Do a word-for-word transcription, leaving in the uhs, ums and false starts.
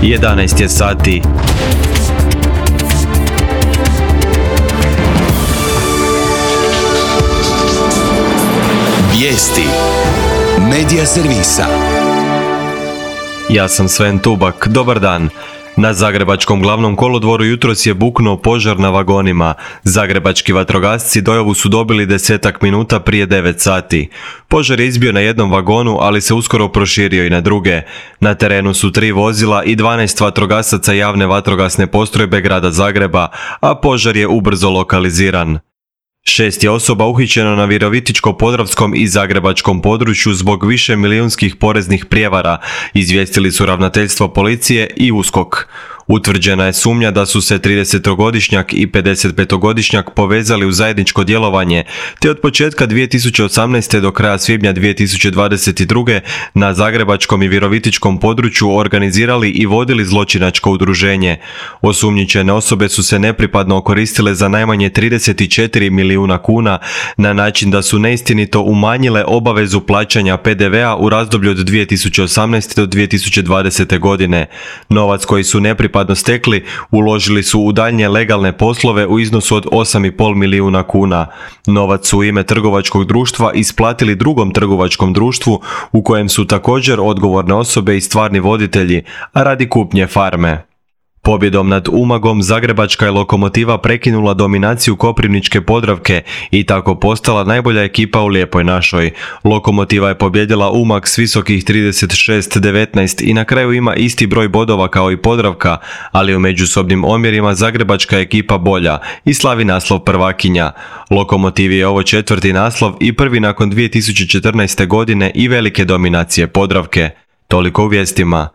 jedanaest je sati. Vijesti Medija servisa. Ja sam Sven Tubak, dobar dan. Na Zagrebačkom glavnom kolodvoru jutros je buknuo požar na vagonima. Zagrebački vatrogasci dojavu su dobili desetak minuta prije devet sati. Požar je izbio na jednom vagonu, ali se uskoro proširio i na druge. Na terenu su tri vozila i dvanaest vatrogasaca javne vatrogasne postrojbe grada Zagreba, a požar je ubrzo lokaliziran. Šest je osoba uhićeno na Virovitičko-podravskom i Zagrebačkom području zbog više milijunskih poreznih prijevara, izvijestili su ravnateljstvo policije i USKOK. Utvrđena je sumnja da su se tridesetogodišnjak i pedesetpetogodišnjak povezali u zajedničko djelovanje, te od početka dvije tisuće osamnaeste. do kraja svibnja dvije tisuće dvadeset druge. na Zagrebačkom i Virovitičkom području organizirali i vodili zločinačko udruženje. Osumnjičene osobe su se nepripadno okoristile za najmanje trideset četiri milijuna kuna na način da su neistinito umanjile obavezu plaćanja P D V a u razdoblju od dvije tisuće osamnaeste. do dvije tisuće dvadesete. godine. Novac koji su nepripadno stekli uložili su u daljnje legalne poslove u iznosu od osam i pol milijuna kuna. Novac su u ime trgovačkog društva isplatili drugom trgovačkom društvu u kojem su također odgovorne osobe i stvarni voditelji, a radi kupnje farme. Pobjedom nad Umagom Zagrebačka je Lokomotiva prekinula dominaciju Koprivničke Podravke i tako postala najbolja ekipa u Lijepoj našoj. Lokomotiva je pobjedila Umag s visokih trideset šest devetnaest i na kraju ima isti broj bodova kao i Podravka, ali u međusobnim omjerima Zagrebačka je ekipa bolja i slavi naslov prvakinja. Lokomotivi je ovo četvrti naslov i prvi nakon dvije tisuće četrnaeste. godine i velike dominacije Podravke. Toliko u vijestima.